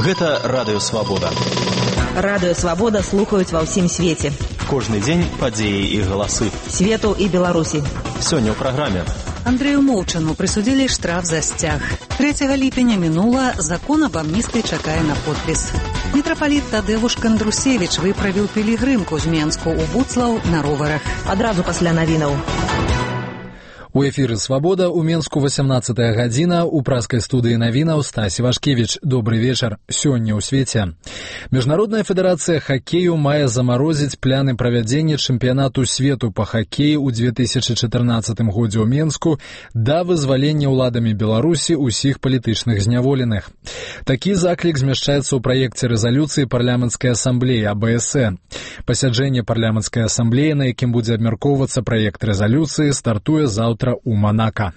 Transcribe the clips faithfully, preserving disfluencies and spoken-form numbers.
Гэта Радыё Свабода. Радыё Свабода слухаюць ва ўсім свеце. Кожны дзень падзеі і галасы. Свету і Беларусі. Сёння ў праграме. Андрею Моўчану прысудзілі штраф за сцяг. трэцяга ліпеня мінула, закон аб амністыі чакае на подпіс. Мітрапаліт Тадэвуш Кандрусевіч выправіў пілігрымку з Менску ў Буцлаў на роварах. Адразу пасля навінаў. У эфіры «Свабода» у Менску васямнаццатая гадзіна, у праскай студыі навінаў Стась Івашкевіч. Добры вечар. Сёння ў свеце. Міжнародная федэрацыя хакею мае замарозіць пляны правядзення чэмпіянату свету па хакеі ў две тысячы чатырнаццатым годзе ў Менску да вызвалення ўладамі Беларусі ўсіх палітычных зняволеных. Такі заклік змяшчаецца ў праекце рэзалюцыі парламенцкай асамблеі А Б С Э. Пасяджэнне парламенцкай асамблеі, на якім будзе абмяркоўвацца праект рэзалюцыі, стартуе заўтра у Монако.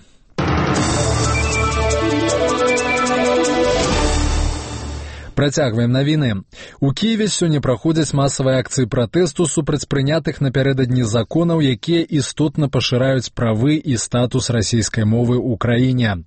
Працягваем навіны. У Кіеве сёння праходзяць масавыя акцыі пратэсту супраць прынятых напярэдадні законаў, якія істотна пашыраюць правы і статус расійскай мовы ў краіне.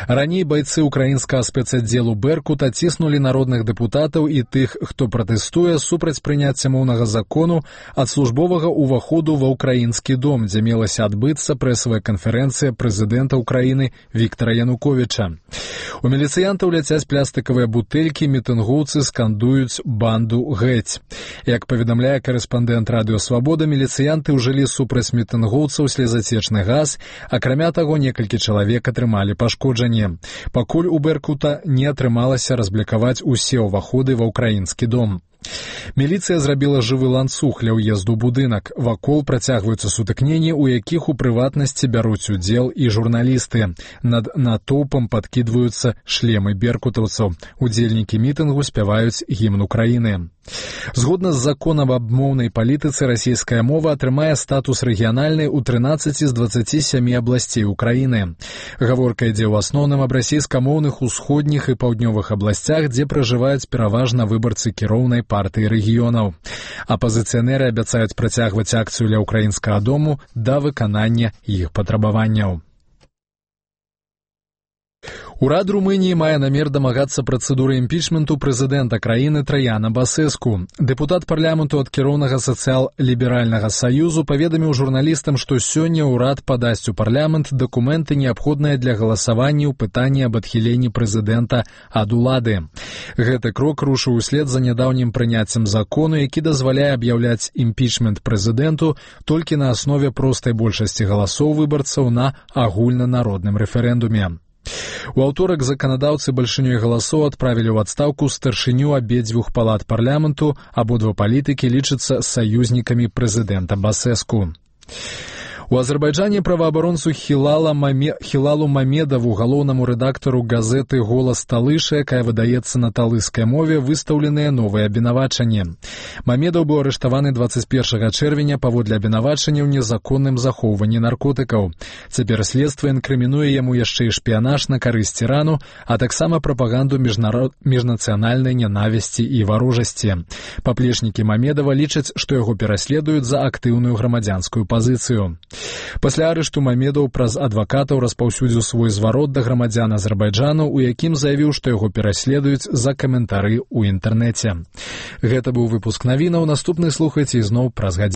Раней байцы украінскага спецаддзелу «Беркут» аціснулі народных дэпутатаў і тых, хто пратэстуе супраць прыняцця моўнага закону ад службовага ўваходу ва ўкраінскі дом, дзе мелася адбыцца прэсавая канферэнцыя прэзідэнта ўкраіны Віктара Януковіча. У міліцыянтаў ляцяць пластыкавыя бутэлькі, мітынгоўцы скандуюць «банду геть». Як паведамляе карэспандэнт Радыё Свабода, міліцыянты ўжылі супраць мітынгоўцаў слезацечны газ, акрамя таго, некалькі чалавек атрымалі пашкоджанне. Пакуль у «Беркута» не атрымалася разблікаваць усе ўваходы ва ўкраінскі дом. Міліцыя зрабіла жывы ланцуг ля ўезду ў будынак. Вакол працягваюцца сутыкненні, у якіх у прыватнасці бяруць удзел і журналісты. Над натоўпам падкідваюцца шлемы беркутаўцаў. Удзельнікі мітынгу спяваюць гімн Украіны. Згодна з законам аб моўнай палітыцы, расійская мова атрымае статус рэгіянальнай у трынаццаці з дваццаці сямі абласцей Украіны. Гаворка ідзе ў асноўным аб расійскамоўных усходніх і паўднёвых абласцях, дзе пражываюць пераважна выбарцы кіроўнай партыі рэгіёнаў. Апазіцыянеры абяцаюць працягваць акцыю ля ўкраінскага дому да выканання іх патрабаванняў. Урад Румыніі мае намер дамагацца працэдуры імпічменту прэзідэнта краіны Траяна Басэску. Дэпутат парламенту ад кіроўнага сацыял-ліберальнага саюзу паведаміў журналістам, што сёння ўрад падасць у парламент дакументы, неабходныя для галасавання ў пытанні аб адхіленні прэзідэнта ад улады. Гэты крок рушыў услед за нядаўнім прыняццем закону, які дазваляе аб'яўляць імпічмент прэзідэнту толькі на аснове простай большасці галасоў выбарцаў на агульнанародным рэферэндуме. У аўторак заканадаўцы бальшынёй галасоў адправілі ў адстаўку старшыню абедзвюх палат парламенту, абодва палітыкі лічацца саюзнікамі прэзідэнта Басэску. У Азербайджане праваабаронцу Хілала Маме... Хілалу Мамедаву, галоўнаму рэдактару газеты «Голас Талыша», якая выдаецца на талыскай мове, выстаўленыя новыя абвінавачанні. Мамедаў быў арыштаваны дваццаць першага чэрвеня паводле абвінавачання ў незаконным захоўванні наркотыкаў. Цяпер следства інкрымінуе яму яшчэ і шпіянаж на карысць Ірану, а таксама прапаганду міжнарод... міжнацыянальнай нянавісці і варожасці. Паплечнікі Мамедава лічаць, што яго пераследуюць за актыўную грамадзянскую пазіцыю. Пасля арышту Мамедаў праз адвакатаў распаўсюдзіў свой зварот да грамадзян Азербайджану, у якім заявіў, што яго пераследуюць за каментары ў інтэрнэце. Гэта быў выпуск навінаў. Наступны слухайце ізноў праз гадзіну.